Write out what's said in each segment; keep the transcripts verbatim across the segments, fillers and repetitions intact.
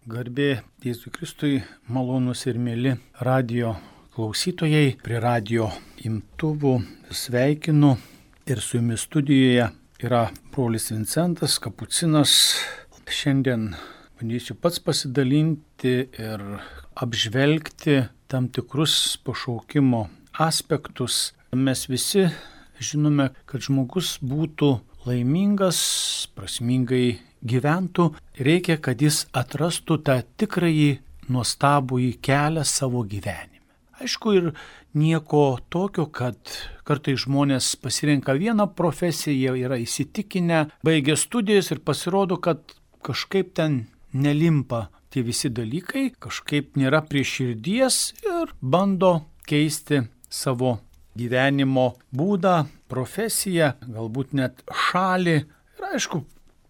Garbė Jėzui Kristui, malonūs ir mėly radio klausytojai, prie radio imtuvų sveikinu ir su jumis studijoje yra brolis Vincentas, kapucinas. Šiandien bandysiu pats pasidalinti ir apžvelgti tam tikrus pašaukimo aspektus. Mes visi žinome, kad žmogus būtų laimingas, prasmingai gyventų, reikia, kad jis atrastų tą tikrąjį nuostabųjį kelią savo gyvenime. Aišku, ir nieko tokio, kad kartais žmonės pasirenka vieną profesiją, jie yra įsitikinę, baigia studijas ir pasirodo, kad kažkaip ten nelimpa tie visi dalykai, kažkaip nėra prie širdies ir bando keisti savo gyvenimo būdą, profesiją, galbūt net šalį. Ir aišku,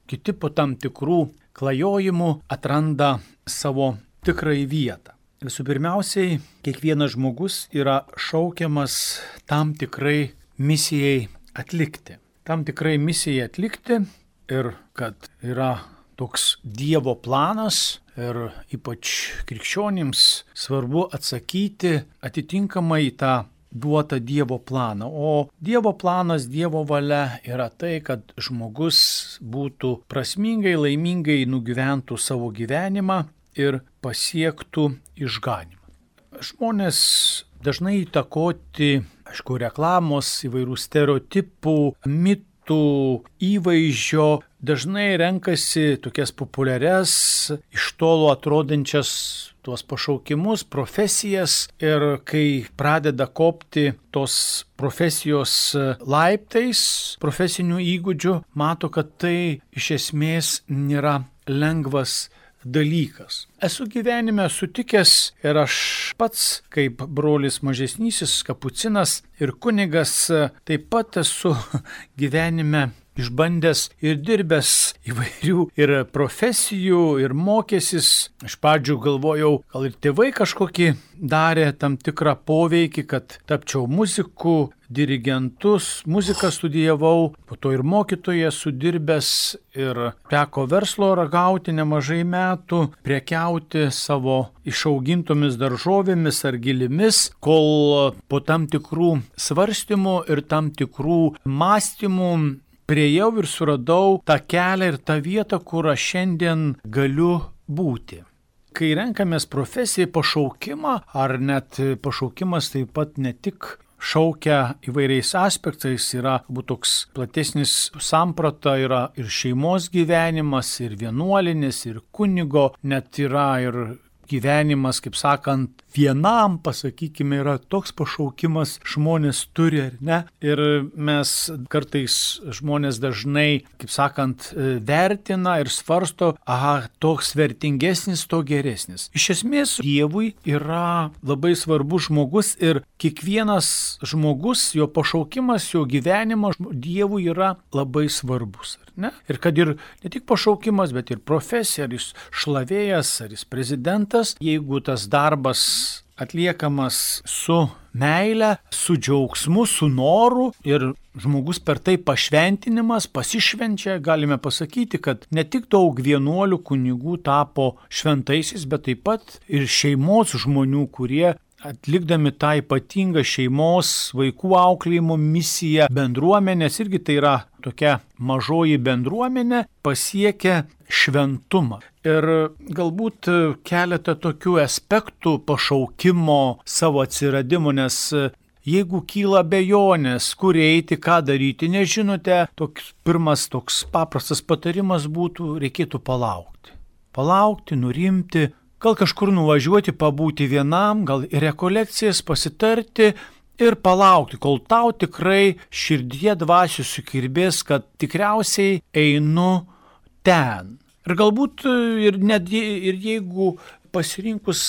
kiti po tam tikrų klajojimų atranda savo tikrąją vietą. Visų pirmiausiai, kiekvienas žmogus yra šaukiamas tam tikrai misijai atlikti. Tam tikrai misijai atlikti ir kad yra toks Dievo planas ir ypač krikščionims svarbu atsakyti atitinkamai į tą duotą Dievo planą. O Dievo planas, Dievo valia yra tai, kad žmogus būtų prasmingai, laimingai nugyventų savo gyvenimą ir pasiektų išganymą. Žmonės dažnai įtakoti, aišku, reklamos, įvairių stereotipų, mitų, įvaizdžio, dažnai renkasi tokias populiarias, iš tolo atrodančias tuos pašaukimus, profesijas ir kai pradeda kopti tos profesijos laiptais, profesinių įgūdžių, mato, kad tai iš esmės nėra lengvas dalykas. Esu gyvenime sutikęs ir aš pats, kaip brolis mažesnysis kapucinas ir kunigas, taip pat esu gyvenime išbandęs ir dirbęs įvairių ir profesijų, ir mokęsis. Iš pradžių galvojau, gal ir tėvai kažkokį darė tam tikrą poveikį, kad tapčiau muziku, dirigentus, muziką studijavau, po to ir mokytojas sudirbęs ir teko verslo ragauti nemažai metų, prekiauti savo išaugintomis daržovėmis ar gėlėmis, kol po tam tikrų svarstymų ir tam tikrų mąstymų priejau ir suradau tą kelią ir tą vietą, kur aš šiandien galiu būti. Kai renkamės profesiją, pašaukimą, ar net pašaukimas taip pat ne tik šaukia įvairiais aspektais, yra būt toks platesnis samprata, yra ir šeimos gyvenimas, ir vienuolinis, ir kunigo, net yra ir gyvenimas, kaip sakant, vienam, pasakykime, yra toks pašaukimas žmonės turi, ar ne? Ir mes kartais žmonės dažnai, kaip sakant, vertina ir svarsto, aha, toks vertingesnis, to geresnis. Iš esmės, Dievui yra labai svarbus žmogus ir kiekvienas žmogus, jo pašaukimas, jo gyvenimas Dievui yra labai svarbus, ar ne? Ir kad ir ne tik pašaukimas, bet ir profesija, ar jis šlavėjas, ar jis prezidentas, jeigu tas darbas atliekamas su meile, su džiaugsmu, su noru ir žmogus per tai pašventinimas, pasišvenčia, galime pasakyti, kad ne tik daug vienuolių kunigų tapo šventaisiais, bet taip pat ir šeimos žmonių, kurie atlikdami tą ypatingą šeimos, vaikų auklėjimo misiją, bendruomenės, irgi tai yra tokia mažoji bendruomenė, pasiekia šventumą. Ir galbūt keletą tokių aspektų pašaukimo savo atsiradimo, nes jeigu kyla abejonės, kur eiti, ką daryti, nežinote, toks pirmas toks paprastas patarimas būtų, reikėtų palaukti. Palaukti, nurimti, gal kažkur nuvažiuoti, pabūti vienam, gal į rekolekcijas pasitarti ir palaukti, kol tau tikrai širdie dvasių sukirbės, kad tikriausiai einu ten. Ir galbūt ir, net, ir jeigu pasirinkus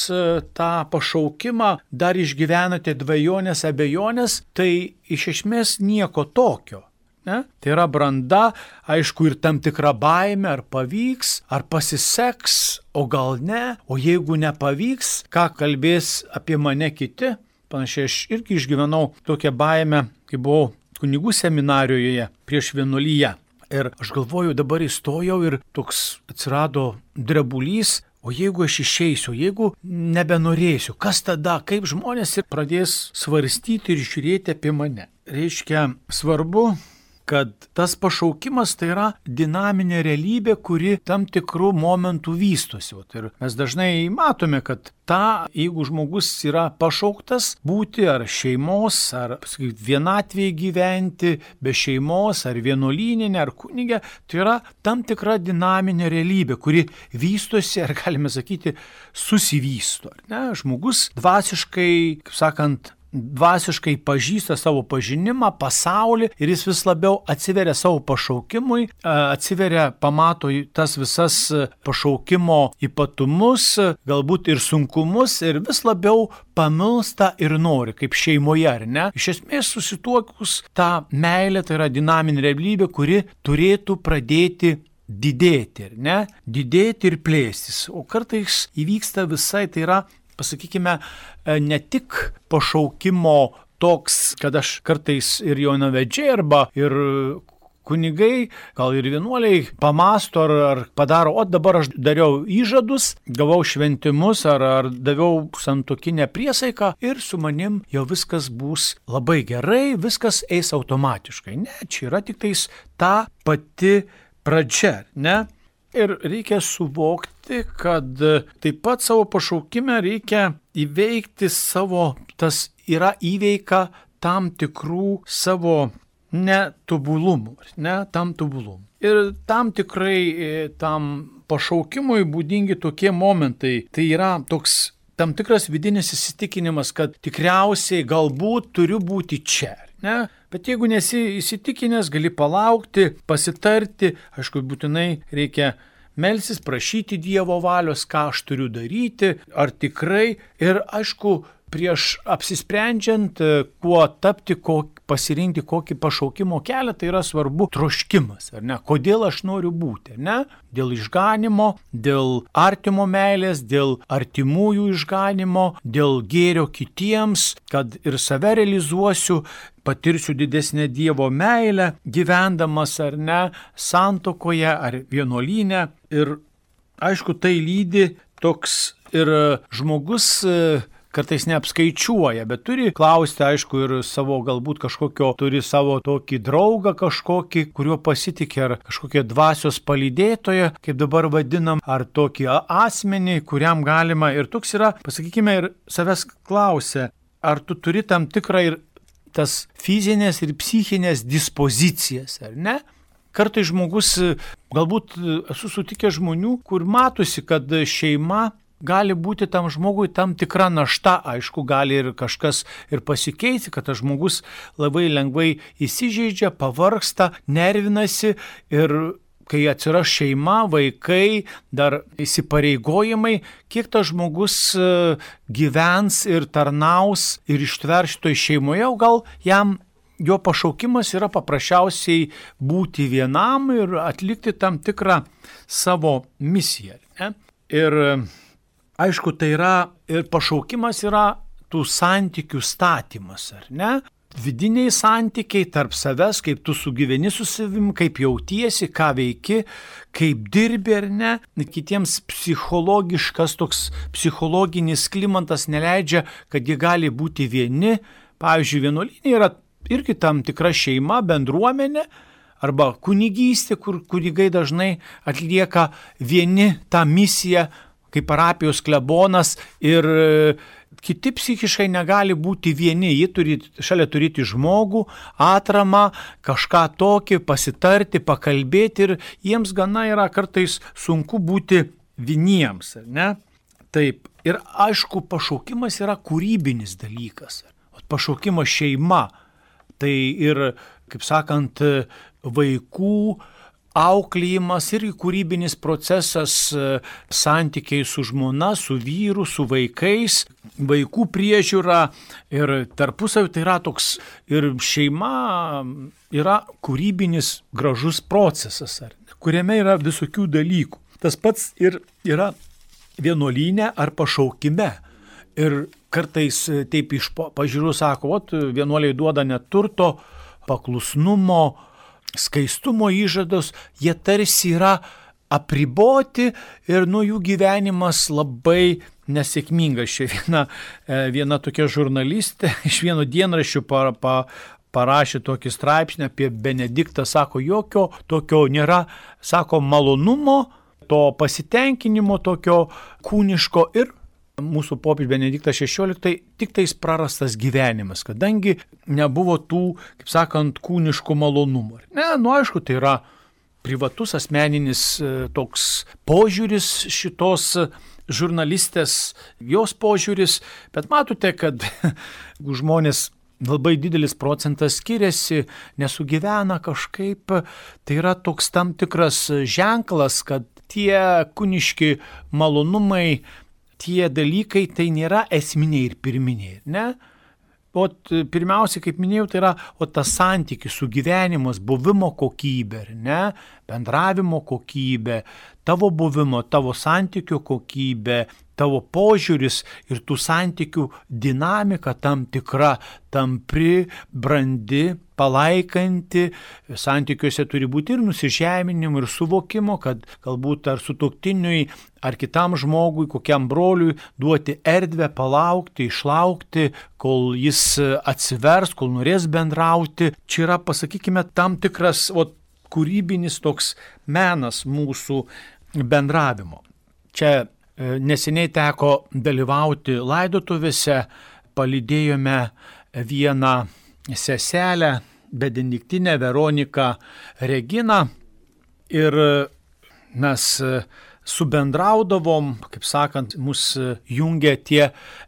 tą pašaukimą dar išgyvenate dvejonės, abejonės, tai iš esmės nieko tokio. Ne? Tai yra branda, aišku, ir tam tikra baimė, ar pavyks, ar pasiseks, o gal ne, o jeigu nepavyks, ką kalbės apie mane kiti. Panašiai aš irgi išgyvenau tokią baimę, kai buvau kunigų seminarijoje prieš vienuoliją. Ir aš galvoju, dabar įstojau ir toks atsirado drebulys, O jeigu aš išeisiu, jeigu nebenorėsiu, kas tada, kaip žmonės ir pradės svarstyti ir žiūrėti apie mane. Reiškia, svarbu, kad tas pašaukimas tai yra dinaminė realybė, kuri tam tikrų momentų vystosi. Ir mes dažnai matome, kad ta, jeigu žmogus yra pašauktas būti ar šeimos, ar pasakyt, vienatvėje gyventi, be šeimos, ar vienuolyninė, ar kunigė, tai yra tam tikra dinaminė realybė, kuri vystosi, ar galime sakyti, susivysto. Ne? Žmogus dvasiškai, kaip sakant, dvasiškai pažįsta savo pažinimą, pasaulį ir jis vis labiau atsiveria savo pašaukimui, atsiveria, pamato tas visas pašaukimo ypatumus, galbūt ir sunkumus ir vis labiau pamilsta ir nori, kaip šeimoje, ar ne? Iš esmės susituokus tą meilę, tai yra dinaminė realybė, kuri turėtų pradėti didėti, ar ne? Didėti ir plėstis. O kartais įvyksta visai, tai yra, pasakykime, ne tik pašaukimo toks, kad aš kartais ir jaunavedžiai arba ir kunigai, gal ir vienuoliai pamasto ar, ar padaro, o dabar aš dariau įžadus, gavau šventimus ar, ar daviau santuokinę priesaiką ir su manim jau viskas bus labai gerai, viskas eis automatiškai. Ne, čia yra tik tais ta pati pradžia, ne? Ir reikia suvokti, kad taip pat savo pašaukime reikia įveikti savo, tas yra įveika tam tikrų savo netobulumų, ne, tam tobulumų. Ir tam tikrai tam pašaukimui būdingi tokie momentai, tai yra toks tam tikras vidinis įsitikinimas, kad tikriausiai galbūt turiu būti čia. Ne? Bet jeigu nesi įsitikinęs, gali palaukti, pasitarti, aišku, būtinai reikia melsis, prašyti Dievo valios, ką aš turiu daryti, ar tikrai, ir aišku, prieš apsisprendžiant, kuo tapti, ko, pasirinkti kokį pašaukimo kelią, tai yra svarbu troškimas, ar ne? Kodėl aš noriu būti, ar ne? Dėl išganimo, dėl artimo meilės, dėl artimųjų išganimo, dėl gėrio kitiems, kad ir save realizuosiu, patirsiu didesnę Dievo meilę, gyvendamas ar ne, santuokoje ar vienuolyne. Ir aišku, tai lydi toks ir žmogus kartais neapskaičiuoja, bet turi klausti, aišku, ir savo galbūt kažkokio, turi savo tokį draugą kažkokį, kuriuo pasitikė, ar kažkokią dvasios palydėtoją, kaip dabar vadinam, ar tokį asmenį, kuriam galima, ir toks yra, pasakykime, ir savęs klausia, ar tu turi tam tikrą ir tas fizinės ir psichinės dispozicijas, ar ne? Kartais žmogus, galbūt esu sutikęs žmonių, kur matosi, kad šeima gali būti tam žmogui tam tikra našta, aišku, gali ir kažkas ir pasikeisti, kad tas žmogus labai lengvai įsižeidžia, pavargsta, nervinasi ir kai atsiras šeima, vaikai, dar įsipareigojimai, kiek tas žmogus gyvens ir tarnaus ir ištvers šitoj šeimoje, o gal jam jo pašaukimas yra paprasčiausiai būti vienam ir atlikti tam tikrą savo misiją. Ne? Ir aišku, tai yra ir pašaukimas yra tų santykių statymas, ar ne? Vidiniai santykiai tarp savęs, kaip tu sugyveni su savim, kaip jautiesi, ką veiki, kaip dirbi ar ne. Kitiems psichologiškas toks psichologinis klimatas neleidžia, kad jie gali būti vieni. Pavyzdžiui, vienuolyne yra irgi tam tikra šeima, bendruomenė, arba kunigystė, kur kunigai dažnai atlieka vieni tą misiją, kaip parapijos klebonas, ir kiti psichiškai negali būti vieni, jie turi šalia turėti žmogų, atramą, kažką tokį, pasitarti, pakalbėti, ir jiems gana yra kartais sunku būti vieniems, ne? Taip, ir aišku, pašaukimas yra kūrybinis dalykas, pašaukimas šeima, tai ir, kaip sakant, vaikų auklėjimas ir kūrybinis procesas, santykiai su žmona, su vyru, su vaikais, vaikų priežiūra ir tarpusavį, tai yra toks, ir šeima yra kūrybinis gražus procesas, kuriame yra visokių dalykų. Tas pats ir yra vienuolyne ar pašaukime. Ir kartais taip iš pažiūrų sako, ot, vienuoliai duoda neturto, paklusnumo, skaistumo įžados, jie tarsi yra apriboti ir nu jų gyvenimas labai nesėkmingas. Čia viena, viena tokia žurnalistė iš vieno dienraščių pa, pa, parašė tokį straipsnį apie Benediktą, sako, jokio tokio nėra, sako, malonumo, to pasitenkinimo tokio kūniško ir mūsų popiežius Benediktas šešioliktas tik tais prarastas gyvenimas, kadangi nebuvo tų, kaip sakant, kūniškų malonumų. Ne, nu aišku, tai yra privatus asmeninis toks požiūris šitos žurnalistės, jos požiūris, bet matote, kad žmonės labai didelis procentas skiriasi, nesugyvena kažkaip, tai yra toks tam tikras ženklas, kad tie kūniški malonumai, tie dalykai tai nėra esminiai ir pirminiai, ne? O pirmiausia, kaip minėjau, tai yra o tas santykis, sugyvenimas, buvimo kokybė, ne? Bendravimo kokybė, tavo buvimo, tavo santykių kokybė, tavo požiūris ir tų santykių dinamika tam tikra, tampri, brandi, palaikanti. Santykiuose turi būti ir nusižeminimo, ir suvokimo, kad galbūt ar sutuoktiniui, ar kitam žmogui, kokiam broliui duoti erdvę, palaukti, išlaukti, kol jis atsivers, kol norės bendrauti. Čia yra, pasakykime, tam tikras o, kūrybinis toks menas mūsų bendravimo. Čia neseniai teko dalyvauti laidotuvėse, palydėjome vieną seselę, Benediktinę Veroniką Reginą ir mes subendraudavom, kaip sakant, mus jungia tie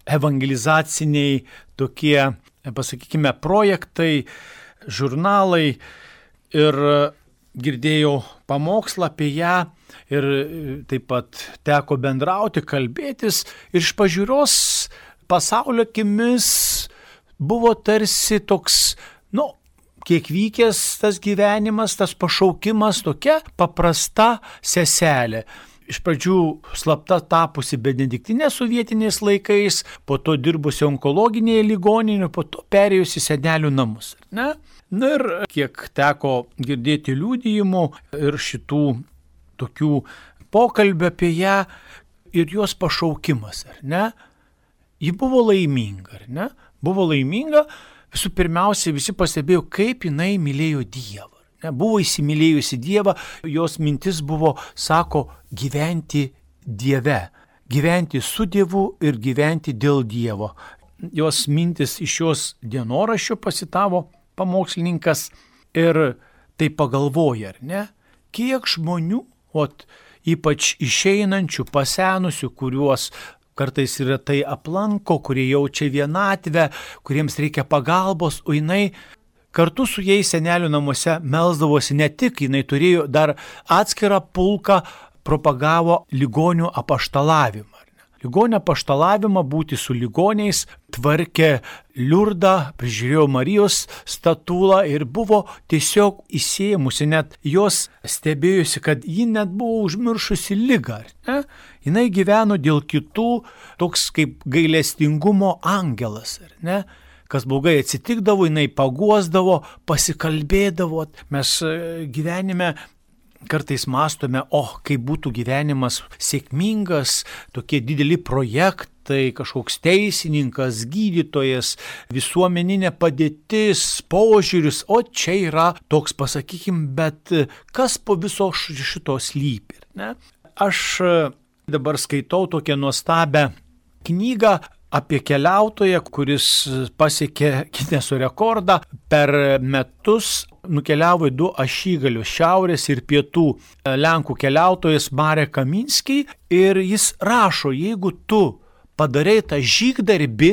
evangelizaciniai tokie, pasakykime, projektai, žurnalai ir girdėjau pamokslą apie ją ir taip pat teko bendrauti, kalbėtis ir iš pažiūros pasaulio akimis buvo tarsi toks, nu, kiek vykęs tas gyvenimas, tas pašaukimas, tokia paprasta seselė. Iš pradžių slapta tapusi Benediktinė sovietiniais laikais, po to dirbusi onkologinėje ligoninėje, po to perėjusi senelių namus. Ne? Na ir kiek teko girdėti liudijimų ir šitų tokių pokalbių apie ją ir jos pašaukimas, ar ne? Ji buvo laiminga, ar ne? Buvo laiminga, visų pirmiausia, visi pastebėjo, kaip jinai mylėjo Dievą. Ne, buvo įsimylėjusi Dievą, jos mintis buvo, sako, gyventi Dieve, gyventi su Dievu ir gyventi dėl Dievo. Jos mintis iš jos dienoraščio pasitavo pamokslininkas ir tai pagalvoja, ar ne, kiek žmonių, ot, ypač išeinančių, pasenusių, kuriuos kartais yra tai aplanko, kurie jaučia vienatvę, kuriems reikia pagalbos, o jinai kartu su jais senelių namuose melsdavosi ne tik, jinai turėjo dar atskirą pulką, propagavo ligonių apaštalavimą. Ligonių apaštalavimą, būti su ligoniais, tvarkė Liurdą, prižiūrėjo Marijos statulą ir buvo tiesiog įsėmusi, net jos stebėjusi, kad ji net buvo užmiršusi ligą. Ne? Jinai gyveno dėl kitų, toks kaip gailestingumo angelas, ne? Kas blogai atsitikdavo, jinai paguosdavo, pasikalbėdavo. Mes gyvenime kartais mąstome, o oh, kaip būtų gyvenimas sėkmingas, tokie dideli projektai, kažkoks teisininkas, gydytojas, visuomeninė padėtis, požiūris, o čia yra toks, pasakykim, bet kas po viso šito slypi, ne? Aš dabar skaitau tokią nuostabią knygą apie keliautoją, kuris pasiekė Gineso rekordą. Per metus nukeliavo į du ašigalius, šiaurės ir pietų. Lenkų keliautojas Marek Kaminski ir jis rašo, jeigu tu padarai tą žygdarbį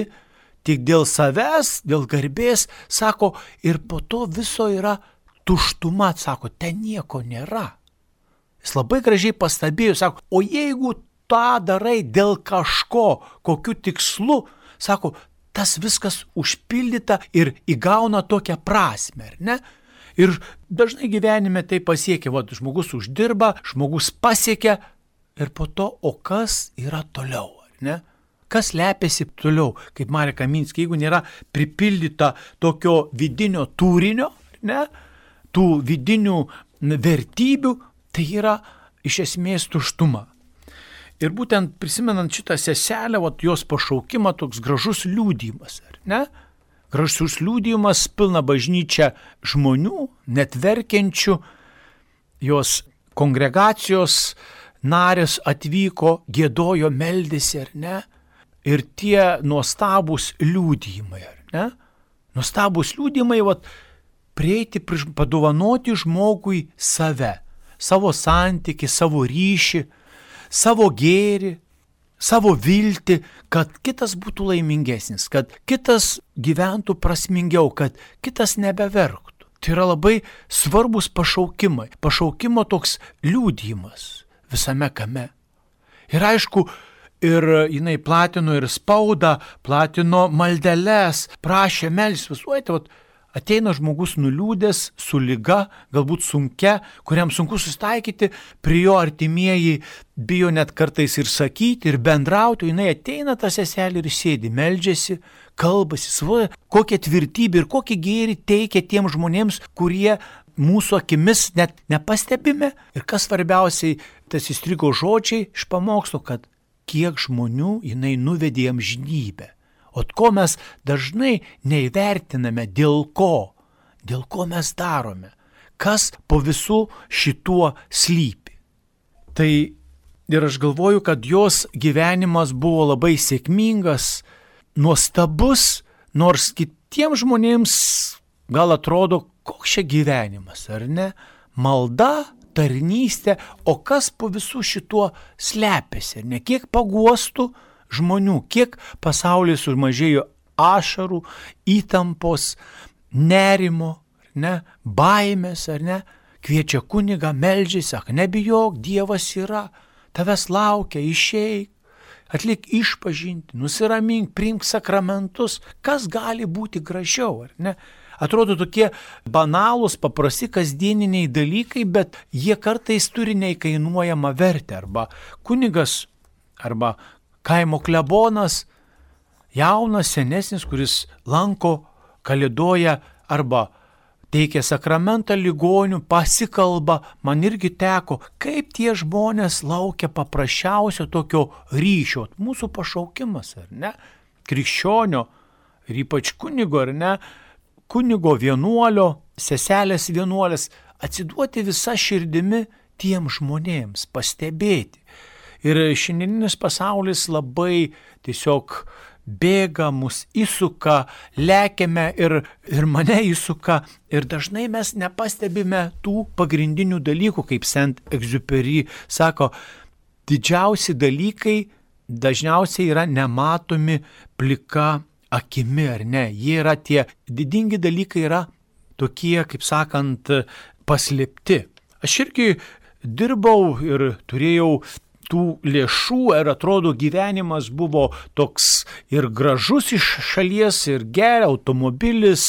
tik dėl savęs, dėl garbės, sako, ir po to viso yra tuštuma, sako, ten nieko nėra. Jis labai gražiai pastebėjo, sako, o jeigu tą darai dėl kažko, kokiu tikslu, sako, tas viskas užpildyta ir įgauna tokią prasmę, ar ne? Ir dažnai gyvenime tai pasiekia, va, žmogus uždirba, žmogus pasiekia ir po to, o kas yra toliau, ar ne? Kas lepiasi toliau, kaip Marek Kaminski, jeigu nėra pripildyta tokio vidinio turinio, ne? Tų vidinių vertybių, tai yra iš esmės tuštumą. Ir būtent prisimenant šitą seselę, vat, jos pašaukimą, toks gražus liudijimas, ar ne? Gražus liudijimas, pilna bažnyčia žmonių, net verkiančių, jos kongregacijos narės atvyko, giedojo, meldėsi, ar ne? Ir tie nuostabūs liudijimai, ar ne? Nuostabūs liudijimai, vat, prieiti, padovanoti žmogui save, savo santykį, savo ryšį, savo gėrį, savo viltį, kad kitas būtų laimingesnis, kad kitas gyventų prasmingiau, kad kitas nebeverktų. Tai yra labai svarbus pašaukimai, pašaukimo toks liudijimas visame kame. Ir aišku, ir jinai platino ir spaudą, platino maldeles, prašė melstis, visuojate, vat, ateina žmogus nuliūdęs, su liga, galbūt sunkia, kuriam sunku susitaikyti, prie jo artimieji bijo net kartais ir sakyti, ir bendrauti, jinai ateina tą seselį ir sėdi, meldžiasi, kalbasi, svoja, kokią tvirtybę ir kokį gėrį teikia tiem žmonėms, kurie mūsų akimis net nepastebime. Ir kas svarbiausiai, tas įstrigo žodžiai iš pamokslo, kad kiek žmonių jinai nuvedė į amžinybę. O ko mes dažnai neįvertiname, dėl ko, dėl ko mes darome, kas po visų šituo slypi. Tai ir aš galvoju, kad jos gyvenimas buvo labai sėkmingas, nuostabus, nors kitiems žmonėms gal atrodo, koks čia gyvenimas, ar ne? Malda, tarnystė, o kas po visų šituo slepiasi, ar ne? Kiek paguostų žmonių, kiek pasaulyje sumažėjo ašarų, įtampos, nerimo, ne, baimės, ar ne, kviečia kunigą, meldžiasi, sako, nebijok, Dievas yra, tavęs laukia, išeik, atlik išpažinti, nusiramink, priimk sakramentus, kas gali būti gražiau, ar ne? Atrodo tokie banalūs, paprasti, kasdieniniai dalykai, bet jie kartais turi neįkainuojamą vertę, arba kunigas, arba kaimo klebonas, jaunas, senesnis, kuris lanko, kalėdoja arba teikia sakramentą ligonių, pasikalba, man irgi teko, kaip tie žmonės laukia paprasčiausio tokio ryšio, mūsų pašaukimas, ar ne, krikščionio ir ypač kunigo, ar ne, kunigo vienuolio, seselės vienuolės, atsiduoti visą širdimi tiem žmonėms, pastebėti. Ir šiandieninis pasaulis labai tiesiog bėga, mus įsuka, lekiame ir, ir mane įsuka. Ir dažnai mes nepastebime tų pagrindinių dalykų, kaip Saint-Exupéry sako, didžiausi dalykai dažniausiai yra nematomi plika akimi, ar ne? Jie yra tie didingi dalykai, yra tokie, kaip sakant, paslėpti. Aš irgi dirbau ir turėjau tų lėšų, ir atrodo gyvenimas buvo toks ir gražus iš šalies, ir gerai, automobilis,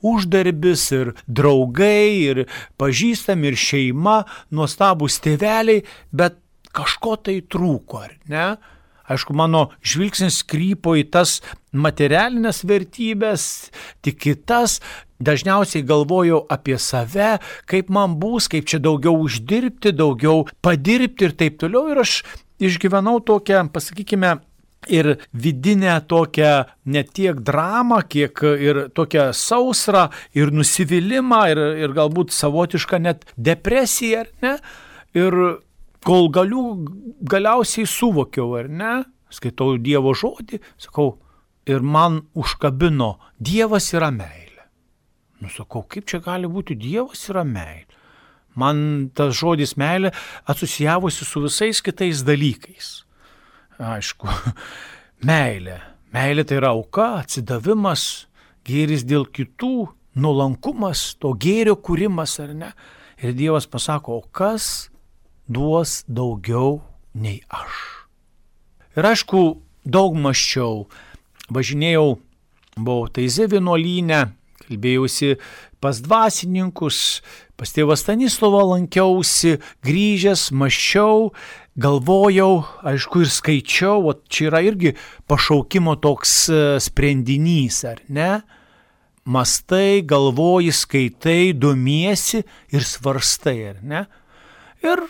uždarbis, ir draugai, ir pažįstami, ir šeima, nuostabūs tėveliai, bet kažko tai trūko, ar ne? Aišku, mano žvilgsnis krypo į tas materialinės vertybės, tik kitas, dažniausiai galvojau apie save, kaip man bus, kaip čia daugiau uždirbti, daugiau padirbti ir taip toliau. Ir aš išgyvenau tokią, pasakykime, ir vidinę tokią ne tiek dramą, kiek ir tokią sausrą, ir nusivylimą, ir, ir galbūt savotišką net depresiją, ar ne? Ir kol galiu, galiausiai suvokiau, ar ne, skaitau Dievo žodį, sakau, ir man užkabino, Dievas yra meilė. Nu, sakau, kaip čia gali būti, Dievas yra meilė. Man tas žodis meilė asocijavosi su visais kitais dalykais. Aišku, meilė. Meilė tai yra auka, atsidavimas, gėris dėl kitų, nuolankumas, to gėrio kūrimas, ar ne. Ir Dievas pasako, o kas duos daugiau nei aš. Ir aišku, daug mąsčiau, važinėjau, buvau Taizė vienuolyne, kalbėjausi pas dvasininkus, pas tėvą Stanislovą lankiausi, grįžęs, mąsčiau, galvojau, aišku, ir skaičiau, o čia yra irgi pašaukimo toks sprendinys, ar ne? Mastai, galvoji, skaitai, domiesi ir svarstai, ar ne? Ir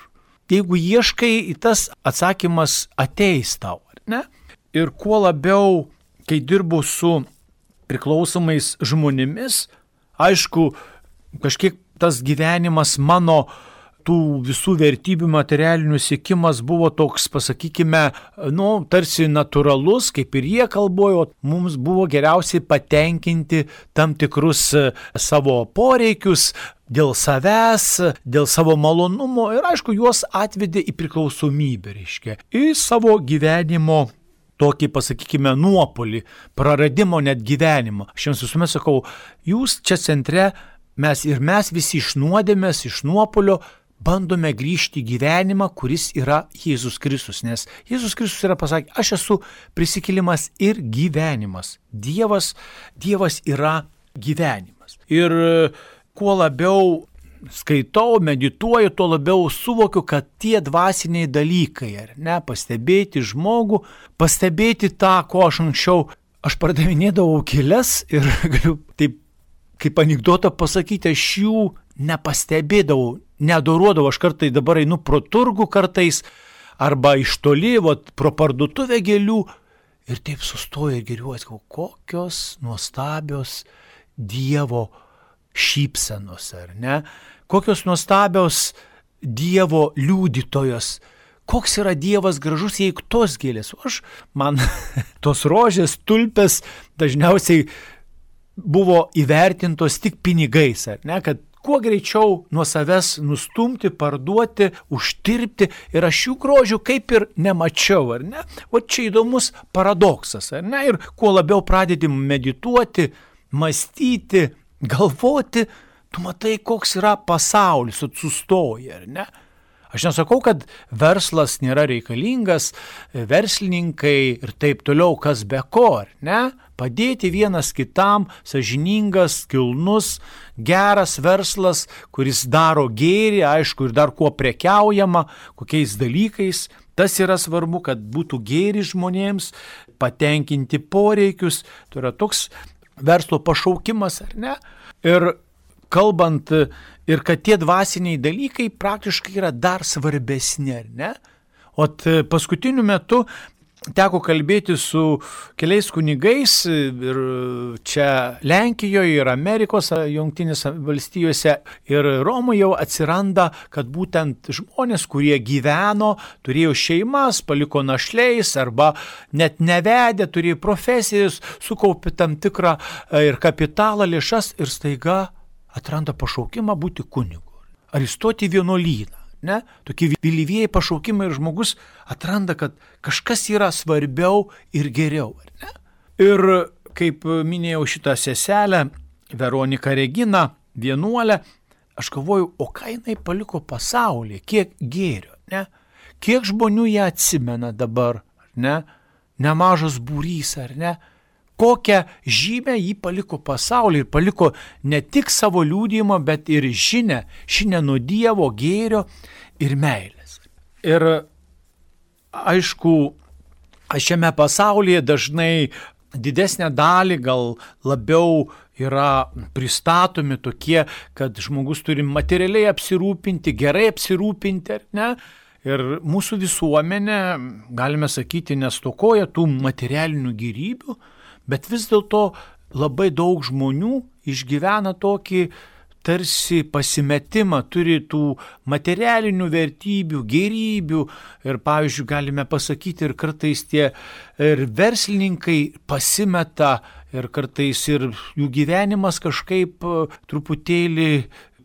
jeigu ieškai, tas atsakymas ateis tau, ar ne? Ir kuo labiau, kai dirbu su priklausomais žmonėmis, aišku, kažkiek tas gyvenimas mano tų visų vertybių materialinių siekimas buvo toks, pasakykime, nu, tarsi natūralus, kaip ir jie kalbojo, mums buvo geriausiai patenkinti tam tikrus savo poreikius dėl savęs, dėl savo malonumo ir, aišku, juos atvedė į priklausomybę, reiškia, į savo gyvenimo tokį, pasakykime, nuopolį, praradimo net gyvenimą. Aš jums visuomet sakau, jūs čia centre, mes ir mes visi iš nuodėmės, iš nuopolio, bandome grįžti į gyvenimą, kuris yra Jėzus Kristus, nes Jėzus Kristus yra pasakė, aš esu prisikėlimas ir gyvenimas. Dievas, Dievas yra gyvenimas. Ir kuo labiau skaitau, medituoju, tuo labiau suvokiu, kad tie dvasiniai dalykai, ar ne, pastebėti žmogų, pastebėti tą, ko aš anksčiau, aš pardavinėdavau kelias ir galiu taip, kaip anekdotą pasakyti, aš jų nepastebėdavau, neadoruodavau, aš kartai dabar einu pro turgų kartais, arba iš toli, vat, pro parduotuvę gėlių, ir taip sustoju ir geriuosi, kokios nuostabios Dievo šypsenos, ar ne? Kokios nuostabios Dievo liudytojos, koks yra Dievas gražus, jei tos gėlės. O aš, man tos rožės, tulpės dažniausiai buvo įvertintos tik pinigais, ar ne, kad kuo greičiau nuo savęs nustumti, parduoti, uždirbti ir aš jų grožių kaip ir nemačiau, ar ne? O čia įdomus paradoksas, ar ne? Ir kuo labiau pradedi medituoti, mąstyti, galvoti, tu matai, koks yra pasaulis, sustoji, ar ne? Aš nesakau, kad verslas nėra reikalingas, verslininkai ir taip toliau, kas be ko, ar ne? Padėti vienas kitam, sąžiningas, kilnus, geras verslas, kuris daro gėrį, aišku, ir dar kuo prekiaujama, kokiais dalykais. Tas yra svarbu, kad būtų gėri žmonėms, patenkinti poreikius. Tai yra toks verslo pašaukimas, ar ne? Ir kalbant, ir kad tie dvasiniai dalykai praktiškai yra dar svarbesni, ar ne? O paskutiniu metu teko kalbėti su keliais kunigais ir čia Lenkijoje, ir Amerikos Jungtinėse valstijose, ir Romoje jau atsiranda, kad būtent žmonės, kurie gyveno, turėjo šeimas, paliko našliais arba net nevedė, turėjo profesijas, sukaupė tam tikrą ir kapitalą, lėšas ir staiga atranda pašaukimą būti kunigu. Ar įstoti į vienuolyną. Ne? Tokie vėlyvieji pašaukimai ir žmogus atranda, kad kažkas yra svarbiau ir geriau. Ne? Ir kaip minėjau šitą seselę, Veroniką Reginą, vienuolę, aš galvoju, o ką jinai paliko pasaulyje, kiek gėrio, ne? Kiek žmonių ją atsimena dabar, ne? Nemažas būrys, ar ne? Kokią žymę jį paliko pasaulyje ir paliko ne tik savo liudijimą, bet ir žinę, žinę nuo Dievo, gėrio ir meilės. Ir aišku, šiame pasaulyje dažnai didesnę dalį gal labiau yra pristatomi tokie, kad žmogus turi materialiai apsirūpinti, gerai apsirūpinti, ar ne? Ir mūsų visuomenė, galime sakyti, nestokoja tų materialinių gėrybių, bet vis dėlto labai daug žmonių išgyvena tokį tarsi pasimetimą, turi tų materialinių vertybių, gėrybių ir, pavyzdžiui, galime pasakyti ir kartais tie ir verslininkai pasimeta ir kartais ir jų gyvenimas kažkaip truputėlį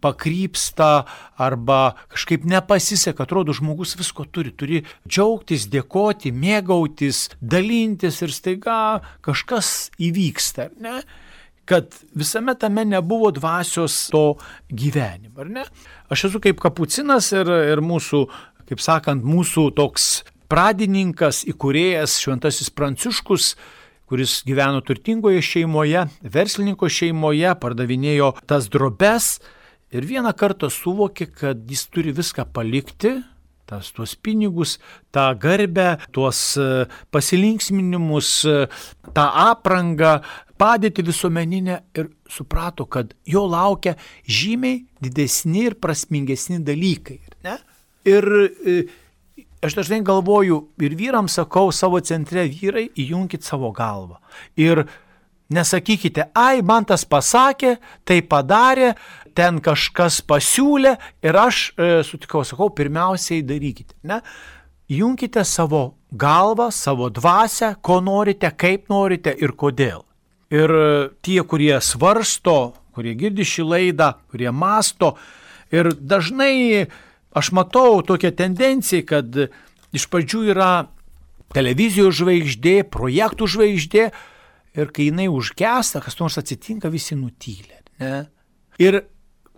pakrypsta arba kažkaip nepasiseka, atrodo, žmogus visko turi, turi džiaugtis, dėkoti, mėgautis, dalintis ir staiga kažkas įvyksta, ar ne? Kad visame tame nebuvo dvasios to gyvenimo, ar ne? Aš esu kaip kapucinas ir, ir mūsų, kaip sakant, mūsų toks pradininkas, įkūrėjas Šventasis Pranciškus, kuris gyveno turtingoje šeimoje, verslininko šeimoje, pardavinėjo tas drobes, ir vieną kartą suvokė, kad jis turi viską palikti, tas, tuos pinigus, tą garbę, tuos pasilinksminimus, tą aprangą, padėtį visuomeninę ir suprato, kad jo laukia žymiai didesni ir prasmingesni dalykai. Ne? Ir aš dažnai galvoju ir vyrams sakau savo centre, vyrai, įjunkit savo galvą. Ir nesakykite, ai, man tas pasakė, tai padarė, ten kažkas pasiūlė ir aš e, sutikau, sakau, pirmiausiai darykite. Ne? Junkite savo galvą, savo dvasią, ko norite, kaip norite ir kodėl. Ir tie, kurie svarsto, kurie girdi šį laidą, kurie masto, ir dažnai aš matau tokią tendenciją, kad iš pradžių yra televizijos žvaigždė, projektų žvaigždė, ir kai jinai užgesta, kas nors atsitinka, visi nutylė. Ne? Ir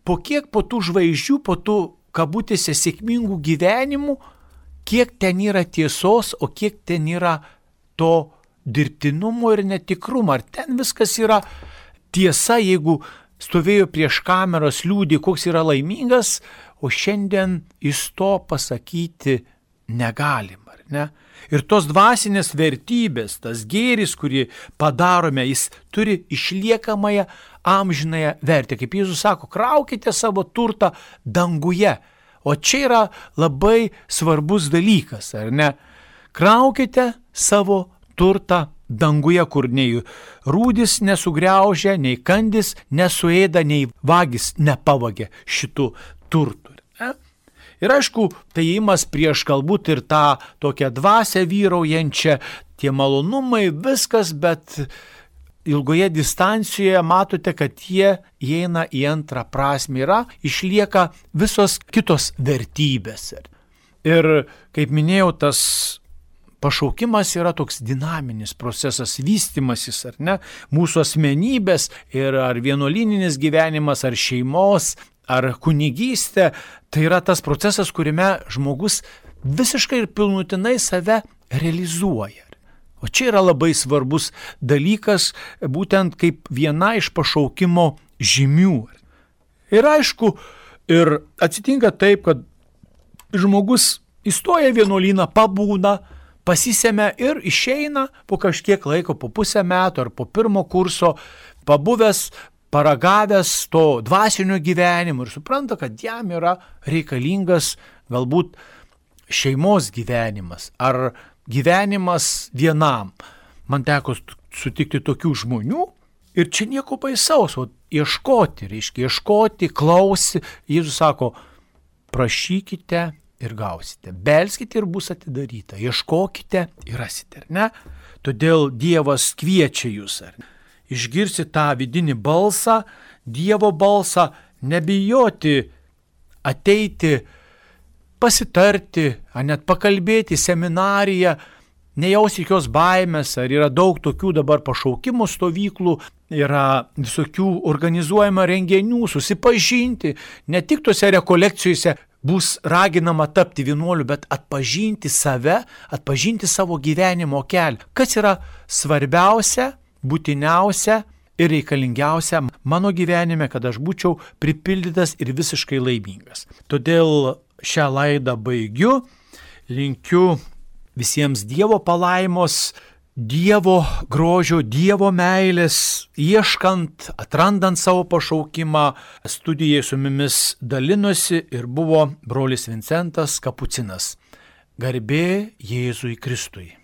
po kiek po tų žvaigždžių, po tų kabutėse sėkmingų gyvenimų, kiek ten yra tiesos, o kiek ten yra to dirbtinumo ir netikrumo. Ar ten viskas yra tiesa, jeigu stovėjo prieš kameras, liūdį, koks yra laimingas, o šiandien jis to pasakyti negalim, ar ne? Ir tos dvasinės vertybės, tas gėris, kurį padarome, jis turi išliekamąją amžinąją vertę. Kaip Jėzus sako, kraukite savo turtą danguje. O čia yra labai svarbus dalykas, ar ne? Kraukite savo turtą danguje, kur nei rūdis nesugriaužia, nei kandis nesuėda, nei vagis nepavagė šitų turtų. Ne? Ir aišku, tai įimas prieš galbūt ir tą tokią dvasią vyraujančią, tie malonumai, viskas, bet ilgoje distancijoje matote, kad jie įeina į antrą prasmę, yra, išlieka visos kitos vertybės. Ir kaip minėjau, tas pašaukimas yra toks dinaminis procesas, vystimasis, ar ne, mūsų asmenybės ir ar vienuolininis gyvenimas, ar šeimos, ar kunigystė, tai yra tas procesas, kuriame žmogus visiškai ir pilnutinai save realizuoja. O čia yra labai svarbus dalykas, būtent kaip viena iš pašaukimo žymių. Ir aišku, ir atsitinka taip, kad žmogus įstoja vienuolyną, pabūna, pasisėmė ir išeina po kažkiek laiko, po pusę metų ar po pirmo kurso, pabuvęs, paragavęs to dvasinio gyvenimo ir supranta, kad jam yra reikalingas galbūt šeimos gyvenimas ar gyvenimas vienam. Man teko sutikti tokių žmonių ir čia nieko baisaus, o ieškoti, reiškia, ieškoti, klausti. Jėzus sako, prašykite ir gausite, belskite ir bus atidaryta, ieškokite ir rasite, ar ne? Todėl Dievas kviečia jūs, ar ne? Išgirsi tą vidinį balsą, Dievo balsą, nebijoti ateiti, pasitarti, ar net pakalbėti seminariją, nejausti jokios baimės, ar yra daug tokių dabar pašaukimų stovyklų, yra visokių organizuojama renginių, susipažinti, ne tik tose rekolekcijose bus raginama tapti vienuoliu, bet atpažinti save, atpažinti savo gyvenimo kelią. Kas yra svarbiausia, būtiniausia ir reikalingiausia mano gyvenime, kad aš būčiau pripildytas ir visiškai laimingas. Todėl šią laidą baigiu, linkiu visiems Dievo palaimos, Dievo grožio, Dievo meilės, ieškant, atrandant savo pašaukimą. Studijai su mumis dalinosi ir buvo brolis Vincentas Kapucinas. Garbė Jėzui Kristui.